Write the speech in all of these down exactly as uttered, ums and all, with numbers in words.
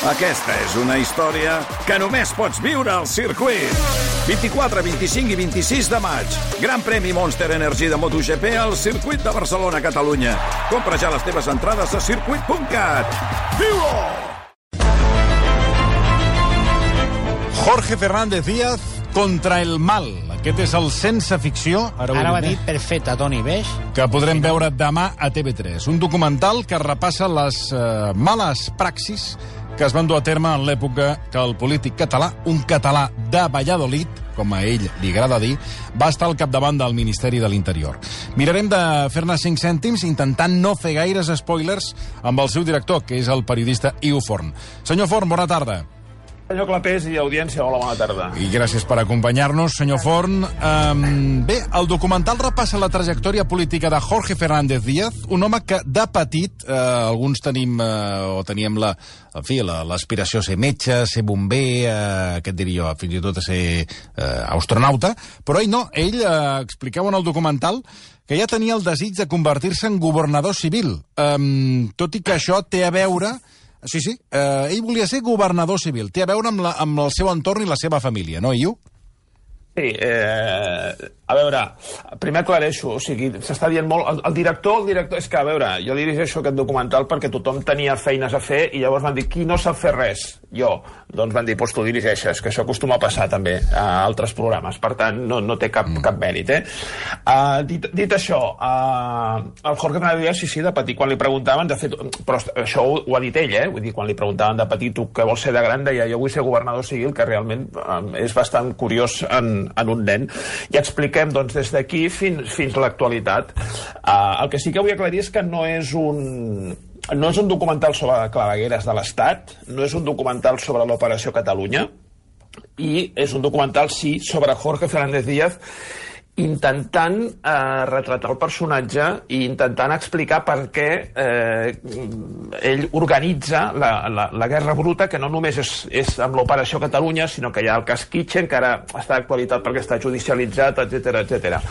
Aquesta és una història que només pots viure al circuit. vint-i-quatre, vint-i-cinc i vint-i-sis de maig. Gran premi Monster Energy de MotoGP al circuit de Barcelona, Catalunya. Compra ja les teves entrades a circuit punt cat. Viu-ho! Jorge Fernández Díaz contra el mal. Aquest és el Sense Ficció. Ara ho ha dit perfecte, Toni, veig? Que podrem veure demà a T V tres. Un documental que repassa les uh, males praxis que es van dur a terme en l'època que el polític català, un català de Valladolid, com a ell li agrada dir, va estar al capdavant del Ministeri de l'Interior. Mirarem de fer-ne cinc cèntims intentant no fer gaires spoilers amb el seu director, que és el periodista Iu Forn. Senyor Forn, bona tarda. Senyor Clapés i audiència, hola, bona tarda. I gràcies per acompanyar-nos, senyor Forn. Um, bé, el documental repassa la trajectòria política de Jorge Fernández Díaz, un home que de petit, eh, alguns tenim, eh, o teníem la, en fi, l'aspiració a ser metge, a ser bomber, eh, què et diria jo, fins i tot a ser eh, astronauta, però ell no, ell eh, explicava en el documental que ja tenia el desig de convertir-se en governador civil, um, tot i que això té a veure... Sí, sí, eh, ell volia ser governador civil. Té a veure amb, la, amb el seu entorn i la seva família, no, Iu? Sí, eh, a veure, primer aclareixo, o sigui, s'està dient molt... El, el director, el director... És que, a veure, jo dirigeixo aquest documental perquè tothom tenia feines a fer i llavors van dir, qui no sap fer res? Jo. Doncs van dir, doncs tu dirigeixes, que això acostuma a passar també a altres programes, per tant, no, no té cap, cap mèrit, eh? Uh, dit, dit això, uh, el Jorge Fernández Díaz, sí, sí, de petit, quan li preguntaven, de fet, però això ho, ho ha dit ell, eh? Vull dir, quan li preguntaven de petit, tu què vols ser de gran, deia, jo vull ser governador civil, que realment uh, és bastant curiós en en un nen, i expliquem doncs, des d'aquí fins, fins a l'actualitat. Uh, el que sí que vull aclarir és que no és un... no és un documental sobre clavegueres de l'Estat, no és un documental sobre l'Operació Catalunya, i és un documental, sí, sobre Jorge Fernández Díaz, intentant eh, retratar el personatge i intentant explicar per què eh, ell organitza la, la, la guerra bruta, que no només és, és amb l'Operació Catalunya, sinó que hi ha el cas Kitchen, que ara està d'actualitat perquè està judicialitzat, etcètera, etcètera.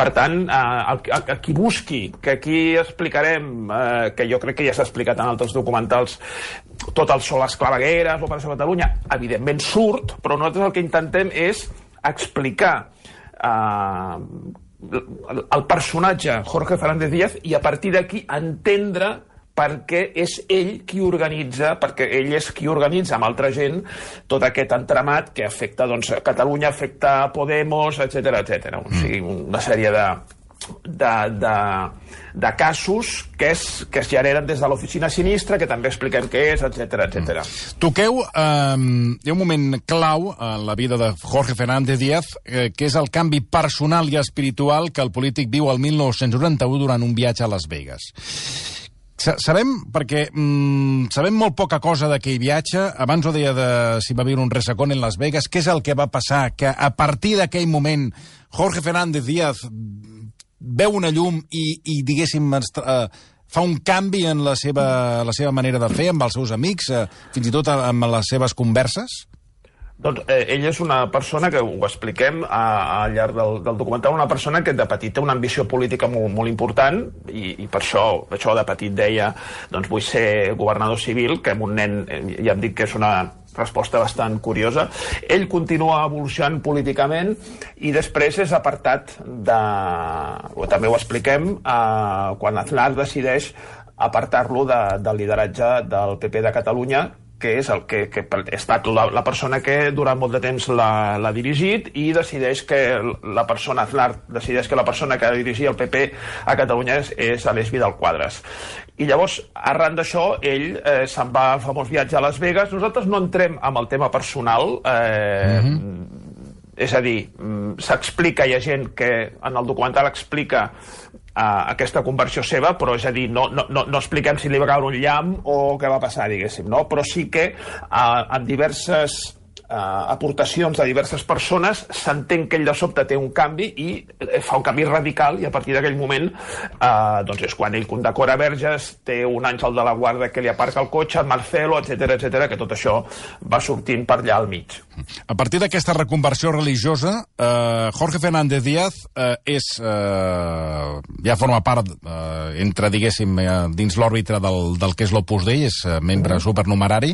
Per tant, eh, el, el, el qui busqui, que aquí explicarem, eh, que jo crec que ja s'ha explicat en altres documentals, tot el sol, les clavegueres, l'Operació Catalunya, evidentment surt, però nosaltres el que intentem és explicar Uh, el personatge Jorge Fernández Díaz i a partir d'aquí entendre per què és ell qui organitza, perquè ell és qui organitza amb altra gent tot aquest entramat que afecta doncs, Catalunya, afecta Podemos, etcètera, etcètera. O sigui, una sèrie de De, de, de casos que es, que es generen des de l'oficina sinistra, que també expliquem què és, etcètera, etcètera. Toqueu, eh, hi ha un moment clau en la vida de Jorge Fernández Díaz, eh, que és el canvi personal i espiritual que el polític viu al mil nou-cents noranta-u durant un viatge a Las Vegas. Sabem, perquè mm, sabem molt poca cosa d'aquell viatge. Abans ho deia de si va viure un resacón en Las Vegas. Què és el que va passar? Que a partir d'aquell moment Jorge Fernández Díaz veu una llum i, i diguéssim, eh, fa un canvi en la seva, la seva manera de fer amb els seus amics, eh, fins i tot amb les seves converses? Doncs eh, ell és una persona, que ho expliquem a, al llarg del, del documental, una persona que de petit té una ambició política molt, molt important i, i per això, per això de petit deia doncs vull ser governador civil, que amb un nen, eh, ja em dic que és una resposta bastant curiosa. Ell continua evolucionant políticament i després és apartat de... o també ho expliquem, eh, quan Aznar decideix apartar-lo de, del lideratge del P P de Catalunya, que és el que, que ha estat la, la persona que durant molt de temps l'ha dirigit, i decideix que la persona, Aznar decideix que la persona que ha de dirigir el P P a Catalunya és, és Aleix Vidal Quadras. I llavors, arran d'això, ell eh, se'n va al famós viatge a Las Vegas. Nosaltres no entrem amb el tema personal, eh, mm-hmm. és a dir, s'explica, hi ha gent que en el documental explica Uh, aquesta conversió seva, però és a dir, no, no, no, no expliquem si li va caure un llamp o què va passar, diguéssim, no? Però sí que uh, en diverses aportacions de diverses persones, s'entén que ell de sobte té un canvi i fa un canvi radical, i a partir d'aquell moment eh, doncs és quan ell condecora Verges, té un àngel de la guarda que li aparca el cotxe, Marcelo, etcètera, etcètera, que tot això va sortint per allà al mig. A partir d'aquesta reconversió religiosa, eh, Jorge Fernández Díaz eh, és, eh, ja forma part, eh, entre, diguéssim, eh, dins l'òrbita del, del que és l'Opus Dei, és eh, membre supernumerari,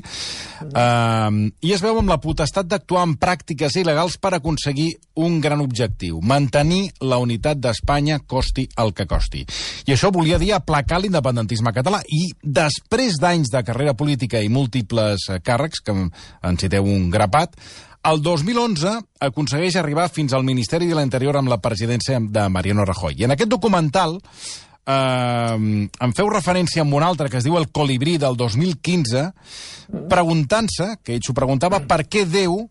eh, i es veu amb la potestat d'actuar en pràctiques il·legals per aconseguir un gran objectiu, mantenir la unitat d'Espanya costi el que costi. I això volia dir aplacar l'independentisme català. I després d'anys de carrera política i múltiples càrrecs, que en citeu un grapat, el dos mil onze aconsegueix arribar fins al Ministeri de l'Interior amb la presidència de Mariano Rajoy. I en aquest documental eh, em feu referència a un altre que es diu El colibrí del dos mil quinze, preguntant-se, que ell s'ho preguntava, per què Déu,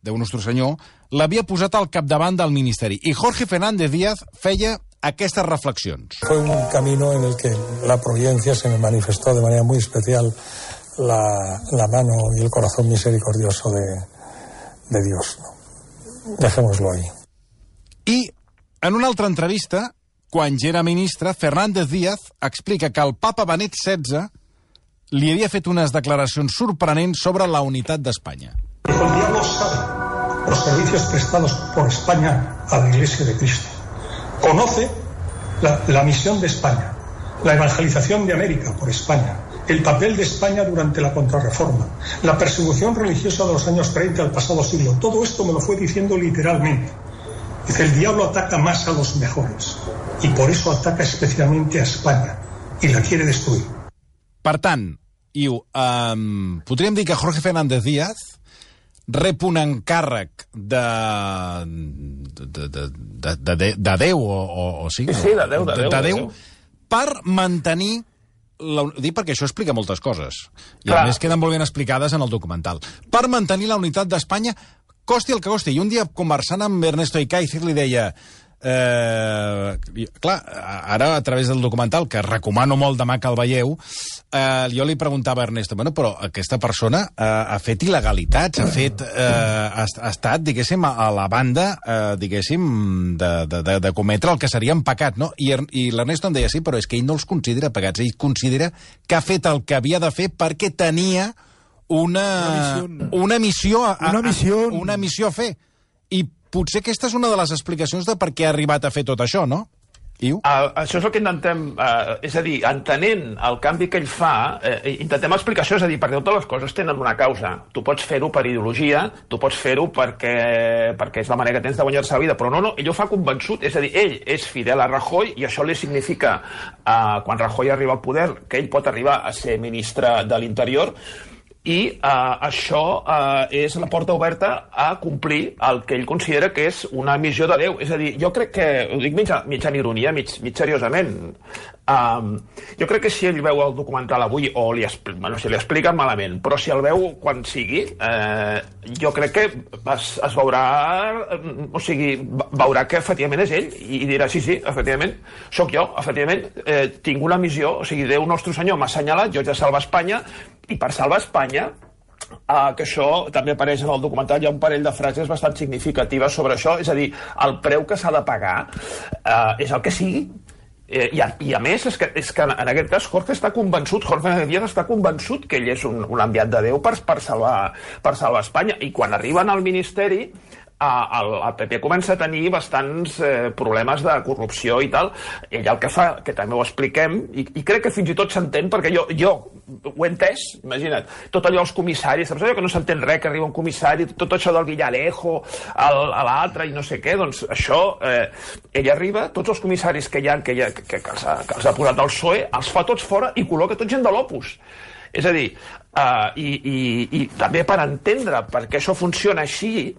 Déu Nostre Senyor, l'havia posat al capdavant del Ministeri. I Jorge Fernández Díaz feia aquestes reflexions. Fue un camino en el que la providencia se me manifestó de manera muy especial, la, la mano y el corazón misericordioso de, de Dios, ¿no? Dejémoslo ahí. I en una altra entrevista, quan ja era ministre, Fernández Díaz explica que el papa Benet setze li havia fet unes declaracions sorprenents sobre la unitat d'Espanya. El diablo sabe los servicios prestados por España a la Iglesia de Cristo. Conoce la, la misión de España, la evangelización de América por España, el papel de España durante la contrarreforma, la persecución religiosa de los años treinta del pasado siglo. Todo esto me lo fue diciendo literalmente. Dice, el diablo ataca más a los mejores y por eso ataca especialmente a España y la quiere destruir. Per tant, Iu, um, podríem dir que Jorge Fernández Díaz rep un encàrrec de, de, de, de, de, de Déu, o, o, o sí? Sí, de Déu, de Déu. De, de Déu, per mantenir... La, dic perquè això explica moltes coses. I Clar. a més queden molt ben explicades en el documental. Per mantenir la unitat d'Espanya, costi el que costi. I un dia, conversant amb Ernesto Icaizer, li deia... Eh, clar, ara a través del documental, que recomano molt demà que el veieu, eh, jo li preguntava a Ernesto, bueno, però aquesta persona eh, ha fet il·legalitats, ha fet eh, ha, ha estat, diguéssim, a la banda, eh, diguéssim, de, de, de, de cometre el que seria un pecat, no? I, i l'Ernesto em deia, sí, però és que ell no els considera pecats, ell considera que ha fet el que havia de fer perquè tenia una, una missió a, a, una missió una missió a fer. I potser aquesta és una de les explicacions de per què ha arribat a fer tot això, no? Iu? Uh, això és el que intentem, uh, és a dir, entenent el canvi que ell fa, uh, intentem explicar això, és a dir, perquè totes les coses tenen una causa. Tu pots fer-ho per ideologia, tu pots fer-ho perquè, perquè és la manera que tens de guanyar-se la vida, però no, no, ell ho fa convençut, és a dir, ell és fidel a Rajoy i això li significa, uh, quan Rajoy arriba al poder, que ell pot arribar a ser ministre de l'Interior, i uh, això uh, és la porta oberta a complir el que ell considera que és una missió de Déu. És a dir, jo crec que, ho dic mitja, mitja ironia, mig, mig seriosament, um, jo crec que si ell veu el documental avui, o li, bueno, si li expliquen malament, però si el veu quan sigui, eh, jo crec que es, es veurà, o sigui, veurà que efectivament és ell, i dirà, sí, sí, efectivament, sóc jo, efectivament, eh, tinc una missió, o sigui, Déu Nostre Senyor m'ha assenyalat, jo haig de salvar Espanya, i per salvar Espanya, uh, que això també apareix en el documental, hi ha un parell de frases bastant significatives sobre això, és a dir, el preu que s'ha de pagar uh, és el que sigui, eh, i, a, i a més és que, és que en aquest cas Jorge està convençut, Jorge Díaz està convençut que ell és un, un enviat de Déu per, per, salvar, per salvar Espanya, i quan arriben al Ministeri el, el P P comença a tenir bastants eh, problemes de corrupció i tal. Ell el que fa, que també ho expliquem, i, i crec que fins i tot s'entén, perquè jo, jo ho he entès, imagina't, tot allò els comissaris, saps allò que no s'entén res, que arriba un comissari, tot això del Villalejo, el, a l'altre i no sé què, doncs això, eh, ell arriba, tots els comissaris que hi ha, que, hi ha, que, que, els ha, que els ha posat el P S O E, els fa tots fora i col·loca tot gent de l'Opus. És a dir, eh, i, i, i també per entendre per què això funciona així,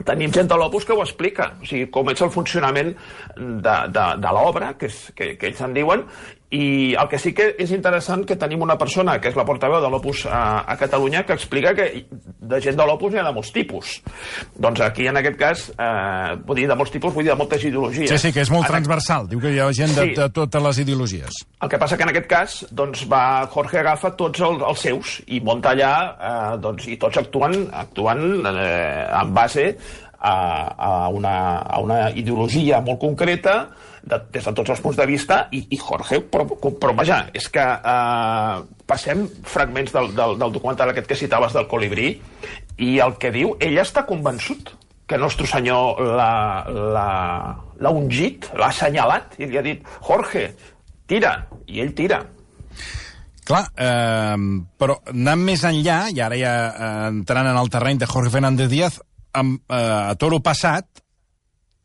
tenim gent de l'Opus que ho explica, o sigui, com és el funcionament de, de, de l'obra, que, és, que, que ells en diuen, I el que sí que és interessant que tenim una persona, que és la portaveu de l'Opus a, a Catalunya, que explica que de gent de l'Opus n'hi ha de molts tipus. Doncs aquí, en aquest cas, eh, vull dir de molts tipus, vull dir de moltes ideologies. Sí, sí, que és molt en... transversal. Diu que hi ha gent de, sí. de totes les ideologies. El que passa que en aquest cas, doncs, va, Jorge agafa tots els, els seus i munta allà, eh, doncs, i tots actuen, actuen eh, en base a, a, una, a una ideologia molt concreta, de, des de tots els punts de vista, i, i Jorge, però, però vaja, és que eh, passem fragments del, del, del documental aquest que citaves del Colibrí, i el que diu, ell està convençut que el nostre senyor l'ha ungit, l'ha assenyalat, i li ha dit, Jorge, tira, i ell tira. Clar, eh, però anant més enllà, i ara ja eh, entrant en el terreny de Jorge Fernández Díaz, amb, eh, a toro passat,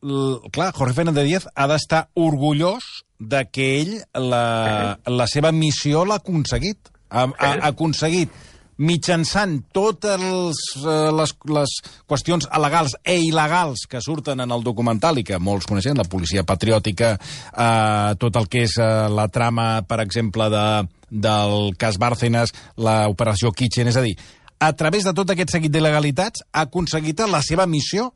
l, clar, Jorge Fernández Díaz ha d'estar orgullós de que ell la, la seva missió l'ha aconseguit. Ha, ha, ha aconseguit mitjançant totes les, les, les qüestions legals e il·legals que surten en el documental i que molts coneixen, la policia patriòtica, eh, tot el que és eh, la trama, per exemple, de, del cas Bárcenas, l'operació Kitchen, és a dir, a través de tot aquest seguit d'il·legalitats ha aconseguit la seva missió,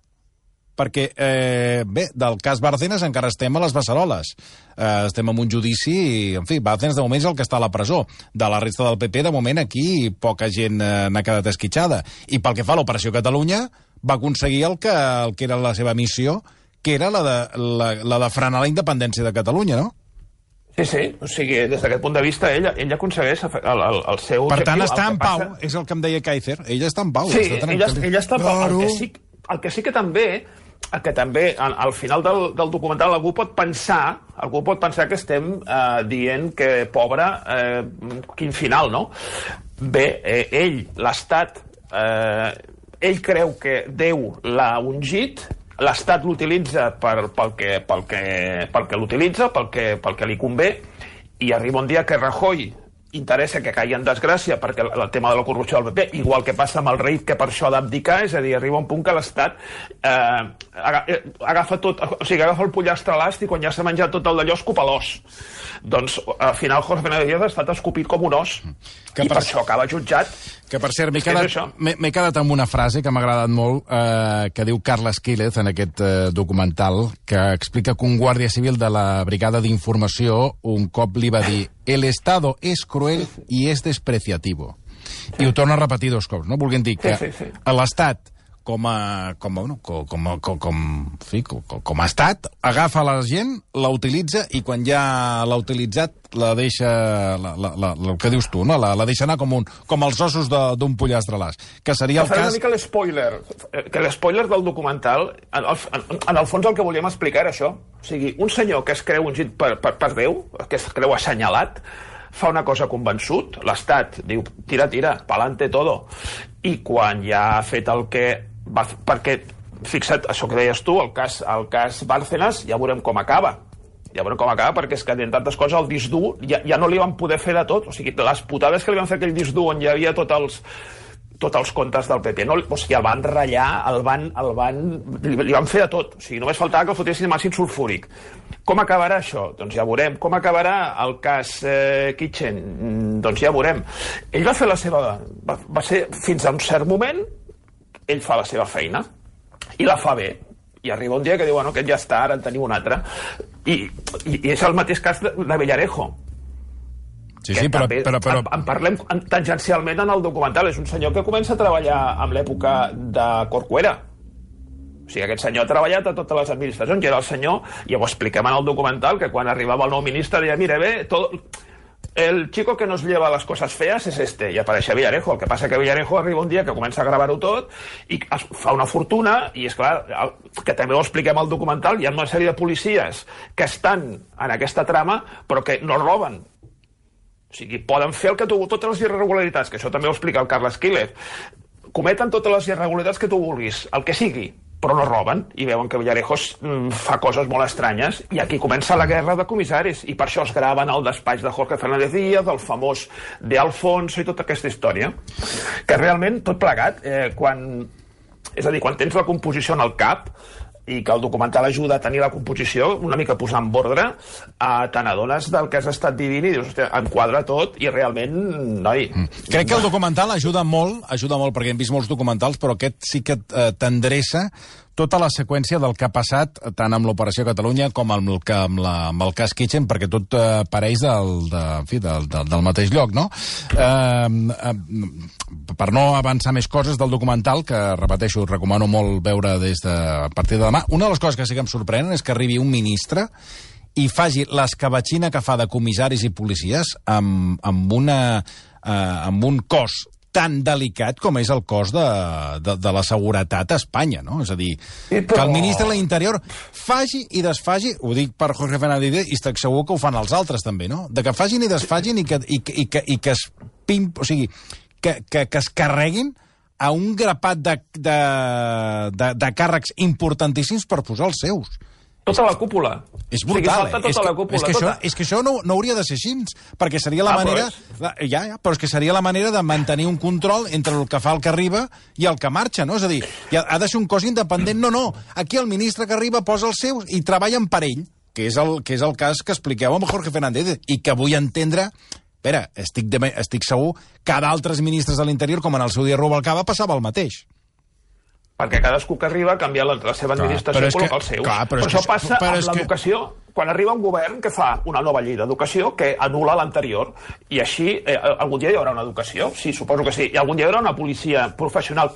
perquè, eh, bé, del cas Bárcenas encara estem a les beceroles. Eh, estem en un judici i, en fi, Bárcenas de moment és el que està a la presó. De la resta del P P, de moment, aquí poca gent eh, n'ha quedat esquitxada. I pel que fa a l'Operació Catalunya, va aconseguir el que, el que era la seva missió, que era la de, la, la de frenar la independència de Catalunya, no? Sí, sí, o sigui, des d'aquest punt de vista, ell, ell aconsegueix el, el, el seu per objectiu. tant, està en pau, passa... és el que em deia Kaiser. Ella està en pau. Sí, està ella, ella està en pau. El que sí, el que, sí que també... que també al, al final del, del documental algú pot pensar algú pot pensar que estem eh, dient que, pobre, eh, quin final, no? Bé, eh, ell, l'Estat, eh, ell creu que Déu l'ha ungit, l'Estat l'utilitza per, pel que, pel que, pel que l'utilitza, pel que, pel que li convé, i arriba un dia que Rajoy interessa que caigui en desgràcia perquè el, el tema de la corrupció del P P, igual que passa amb el rei, que per això ha d'abdicar, és a dir, arriba un punt que l'Estat eh, agafa tot, o sigui, agafa el pollastre a l'ast i quan ja s'ha menjat tot el d'allò escupa l'os. Doncs al final Jorge Fernández Díaz ha estat escopit com un os, que i per, per això acaba jutjat. Que per cert, m'he quedat, quedat amb una frase que m'ha agradat molt, eh, que diu Carles Quílez en aquest eh, documental, que explica que un guàrdia civil de la brigada d'informació un cop li va dir el Estado es cruel y es despreciativo. Sí. I ho torna a repetir dos cops, no? Volguem dir que sí, sí, sí. l'Estat, com a, com, a, com, com, com, com, fi, com, com a estat, agafa la gent, la utilitza i quan ja l'ha utilitzat la deixa, la, la, la, el que dius tu, no? la, la deixa anar com, un, com els ossos d'un pollastre a l'as, que seria el cas... una mica l'espoiler, que l'espoiler del documental, en el, en, en el fons el que volíem explicar era això. O sigui, un senyor que es creu ungit per, per, per Déu, que es creu assenyalat, fa una cosa convençut, l'Estat diu, tira, tira, pa'lante todo. I quan ja ha fet el que va, perquè, fixa't, això que deies tu, el cas, el cas Bárcenas, ja veurem com acaba. Ja veurem com acaba, perquè és que, en tantes coses, el disc dur ja, ja no li van poder fer de tot. O sigui, les putades que li van fer aquell disc dur on hi havia tots els, tots els comptes del P P, no? O sigui, el van ratllar, el van, el van, li, li van fer de tot. O sigui, només faltava que el fotessin amb àcid sulfúric. Com acabarà això? Doncs ja veurem. Com acabarà el cas eh, Kitchen? Doncs ja veurem. Ell va fer la seva... Va, va ser, fins a un cert moment, ell fa la seva feina i la fa bé, i arriba un dia que diu, bueno, aquest ja està, ara en tenim un altre, i, i, i és el mateix cas de, de Villarejo. Sí, sí, però, també, però, però... En, en parlem tangencialment en el documental. És un senyor que comença a treballar en l'època de Corcuera. O sigui, aquest senyor ha treballat a totes les administracions, i era el senyor, i ho expliquem en el documental, que quan arribava el nou ministre deia, mira, bé, tot... el chico que nos lleva las cosas feas es este, i apareixia Villarejo. El que passa que Villarejo arriba un dia que comença a gravar-ho tot i fa una fortuna, i és clar, que també ho expliquem al documental, hi ha una sèrie de policies que estan en aquesta trama però que no roben. O sigui, poden fer el que tu, totes les irregularitats, que això també ho explica el Carles Quílez, cometen totes les irregularitats que tu vulguis, el que sigui, però no roben, i veuen que Villarejo fa coses molt estranyes, i aquí comença la guerra de comissaris, i per això es graven al despatx de Jorge Fernández Díaz, el famós de Alfonso i tota aquesta història, que realment, tot plegat, eh, quan, és a dir, quan tens la composició en el cap, i que el documental ajuda a tenir la composició, una mica posar en ordre, eh, te n'adones del que has estat vivint i dius, hòstia, enquadra tot i realment, noi... Mm. Crec que el documental ajuda molt, ajuda molt perquè hem vist molts documentals, però aquest sí que eh, t'endreça tota la seqüència del que ha passat tant amb l'Operació Catalunya com amb el, amb la, amb el cas Kitchen, perquè tot eh, pareix del, de, en fi, del, del, del mateix lloc, no? Eh, eh, per no avançar més coses del documental, que, repeteixo, recomano molt veure des de, a partir de demà, una de les coses que sí que em sorprenen és que arribi un ministre i faci l'escabatxina que fa de comissaris i policies amb, amb, una, eh, amb un cos tan delicat com és el cos de, de, de la seguretat a Espanya, no? És a dir, sí, però... que el ministre de l'Interior faci i desfaci, ho dic per Jorge Fernández i estic segur que ho fan els altres també, no? De que facin i desfagin i que, i, i que, i que es pim, o sigui, que, que, que es carreguin a un grapat de, de, de, de càrrecs importantíssims per posar els seus. Tota la cúpula. És brutal, o sigui, tota és, que, la cúpula, és, que tota. això, és que això no, no hauria de ser així, perquè seria la ah, manera... Però és... Ja, ja, però és que seria la manera de mantenir un control entre el que fa el que arriba i el que marxa, no? És a dir, ha, ha de ser un cos independent. No, no, aquí el ministre que arriba posa els seus i treballen per ell, que és el, que és el cas que expliqueu amb Jorge Fernández, i que vull entendre... Espera, estic, de, estic segur que a d'altres ministres de l'Interior, com en el seu dia Rubalcaba, passava el mateix. Perquè cadascú que arriba canvia la, la seva administració i col·loca els seus. Clar, però, però això que, passa però amb l'educació. Que... Quan arriba un govern que fa una nova llei d'educació que anul·la l'anterior, i així eh, algun dia hi haurà una educació, sí, suposo que sí, i algun dia hi haurà una policia professional,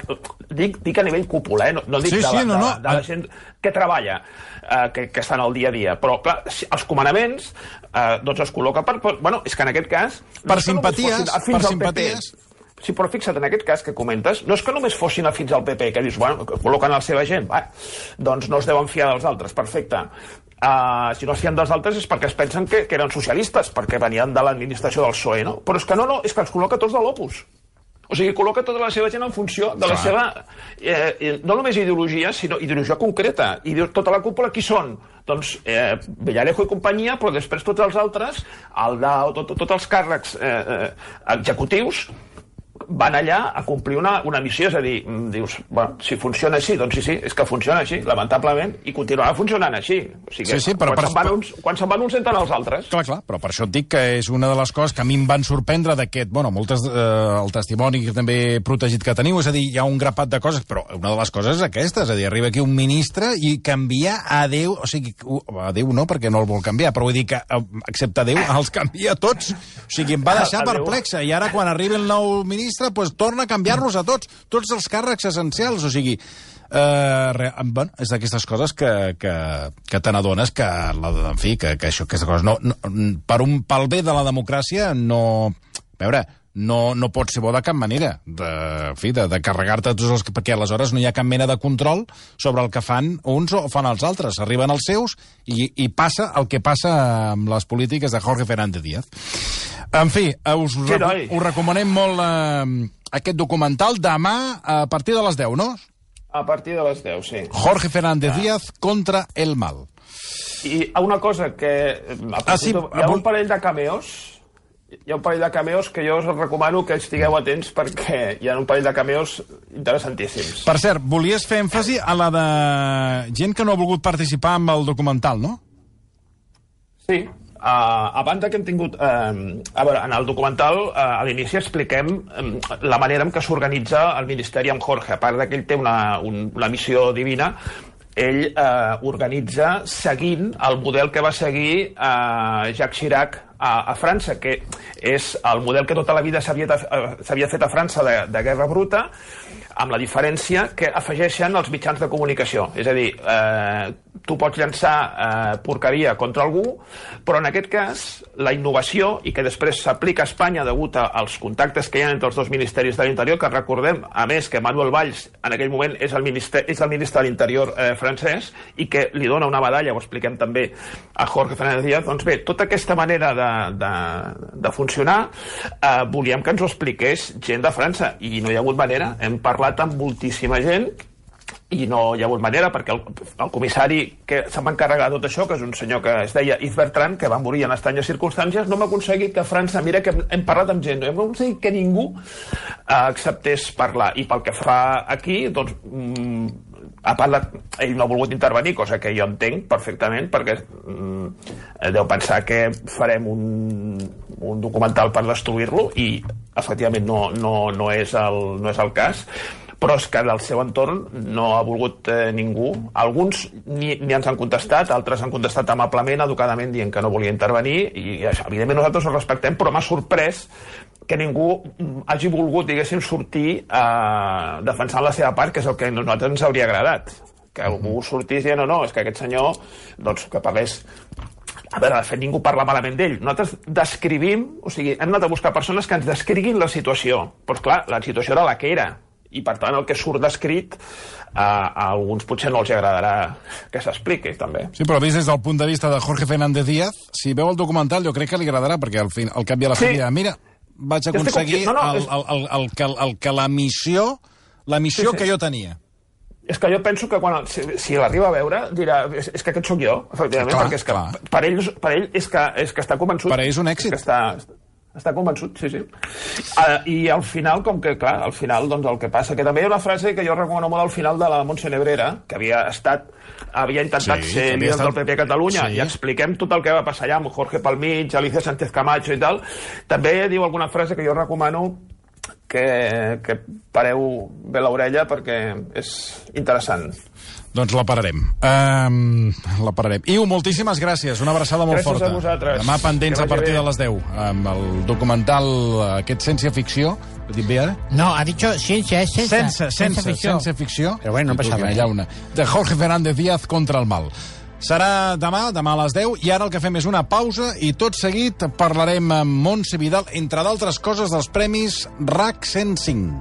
dic, dic a nivell cúpula, eh? no, no dic sí, de, sí, la, no, no. de, de la gent que treballa, eh, que, que estan al dia a dia, però clar, els comandaments eh, doncs es col·loca per, per... Bueno, és que en aquest cas... Per no simpaties, per simpaties... Sí, però fixa't, en aquest cas que comentes, no és que només fossin afins al P P, que dius, bueno, col·loquen la seva gent, va, doncs no es deuen fiar dels altres, perfecte. Uh, si no es fien dels altres és perquè es pensen que, que eren socialistes, perquè venien de l'administració del P S O E, no? Però és que no, no, és que els col·loca tots de l'Opus. O sigui, col·loca tota la seva gent en funció de la Clar. seva, eh, no només ideologia, sinó ideologia concreta. I tota la cúpula, qui són? Doncs eh, Villarejo i companyia, però després tots els altres, el D A O, tot, tots els càrrecs eh, eh, executius, van allà a complir una, una missió, és a dir, dius, bueno, si funciona així, doncs sí, sí, és que funciona així, lamentablement, i continuarà funcionant així. O sigui, sí, sí, però quan, per... se'n van uns, quan se'n van uns entren els altres. Clar, clar, però per això et dic que és una de les coses que a mi em van sorprendre d'aquest, bueno, moltes, eh, el testimoni que també protegit que teniu, és a dir, hi ha un grapat de coses, però una de les coses és aquesta, és a dir, arriba aquí un ministre i canvia a Déu, o sigui, a Déu no, perquè no el vol canviar, però vull dir que, excepte a Déu, els canvia tots. O sigui, em va deixar perplexa, i ara quan arribi el nou ministre pues, torna a canviar-los a tots, tots els càrrecs essencials, o sigui, eh, re, bueno, és d'aquestes coses que, que, que te n'adones que, la, en fi, que, que això, aquesta cosa, no, no, per un, pel bé de la democràcia, no, a veure, no, no pot ser bo de cap manera, de, en fi, de, de carregar-te tots els... perquè aleshores no hi ha cap mena de control sobre el que fan uns o fan els altres. Arriben els seus i, i passa el que passa amb les polítiques de Jorge Fernández Díaz. En fi, us, sí, reco us recomanem molt eh, aquest documental demà a partir de les deu, no? A partir de les deu, sí. Jorge Fernández ah. Díaz contra el mal. I una cosa que... Ah, sí, hi ha un parell de cameos... Hi ha un parell de cameos que jo us recomano que estigueu atents perquè hi ha un parell de cameos interessantíssims. Per cert, volies fer èmfasi a la de gent que no ha volgut participar amb el documental, no? Sí. Uh, a banda que hem tingut... Uh, a veure, en el documental, uh, a l'inici expliquem um, la manera en què s'organitza el Ministeri amb Jorge. A part que ell té una, un, una missió divina, ell eh, organitza seguint el model que va seguir eh, Jacques Chirac a, a França, que és el model que tota la vida s'havia fet a França de, de guerra bruta, amb la diferència que afegeixen els mitjans de comunicació. És a dir, eh, tu pots llançar eh, porqueria contra algú, però en aquest cas la innovació, i que després s'aplica a Espanya degut als contactes que hi ha entre els dos ministeris de l'Interior, que recordem, a més, que Manuel Valls en aquell moment és el ministre, és el ministre de l'Interior eh, francès i que li dona una medalla, ho expliquem també a Jorge Fernández Díaz. Doncs bé, tota aquesta manera de, de, de funcionar eh, volíem que ens ho expliqués gent de França, i no hi ha hagut manera. Hem parlat amb moltíssima gent i no hi ha hagut manera, perquè el, el comissari que se'n va encarregar de tot això, que és un senyor que es deia Yves Bertrand, que va morir en estranyes circumstàncies, no hem aconseguit que França, mira que hem, hem parlat amb gent, no hem aconseguit que ningú eh, acceptés parlar. I pel que fa aquí, doncs, mm, a part, de, ell no ha volgut intervenir, cosa que jo entenc perfectament, perquè mm, deu pensar que farem un, un documental per destruir-lo, i efectivament no, no, no, és el, no és el cas, però és que del seu entorn no ha volgut eh, ningú. Alguns ni, ni ens han contestat, altres han contestat amablement, educadament, dient que no volia intervenir, i això, evidentment nosaltres ho respectem, però m'ha sorprès que ningú hagi volgut, diguéssim, sortir eh, defensant la seva part, que és el que a nosaltres ens hauria agradat. Que algú sortís dient, no, no, és que aquest senyor, doncs, que parlés... A veure, de fet, ningú parla malament d'ell. Nosaltres descrivim, o sigui, hem anat a buscar persones que ens descriguin la situació. Però, clar, la situació era la que era. I, per tant, el que surt descrit a, a alguns potser no els agradarà que s'expliqui, també. Sí, però vist des del punt de vista de Jorge Fernández Díaz, si veu el documental jo crec que li agradarà, perquè al, fin, al cap i a la fi, sí. Mira, vaig aconseguir no, no, el, el, el, el, que, el que la missió, la missió sí, sí. que jo tenia. És que jo penso que quan, si, si l'arriba a veure, dirà, és, és que aquest sóc jo, efectivament, clar, perquè és que clar. per ell, per ell és, que, és que està convençut. Per ell és un èxit. És que està... Està convençut, sí, sí. Uh, I al final, com que, clar, al final, doncs el que passa... Que també hi ha una frase que jo recomano molt al final de la Montse Nebrera, que havia estat... havia intentat sí, ser líder estat... del P P a Catalunya, sí. I expliquem tot el que va passar allà amb Jorge Palmich, Alicia Sánchez Camacho i tal. També diu alguna frase que jo recomano que, que pareu bé l'orella perquè és interessant. Doncs la pararem. Um, la pararem. Iu, moltíssimes gràcies. Una abraçada molt gràcies forta. Gràcies a vosaltres. Demà pendents a partir bé. de les deu. Amb el documental, aquest ciència-ficció. Ho he dit bé, ara? No, ha dit ciència, és sense. Sense, sense, ficció. Sense ficció. Però bueno, no passa res. Una. De Jorge Fernández Díaz contra el mal. Serà demà, demà a les deu, i ara el que fem és una pausa i tot seguit parlarem amb Montse Vidal, entre d'altres coses, dels premis R A C cent cinc.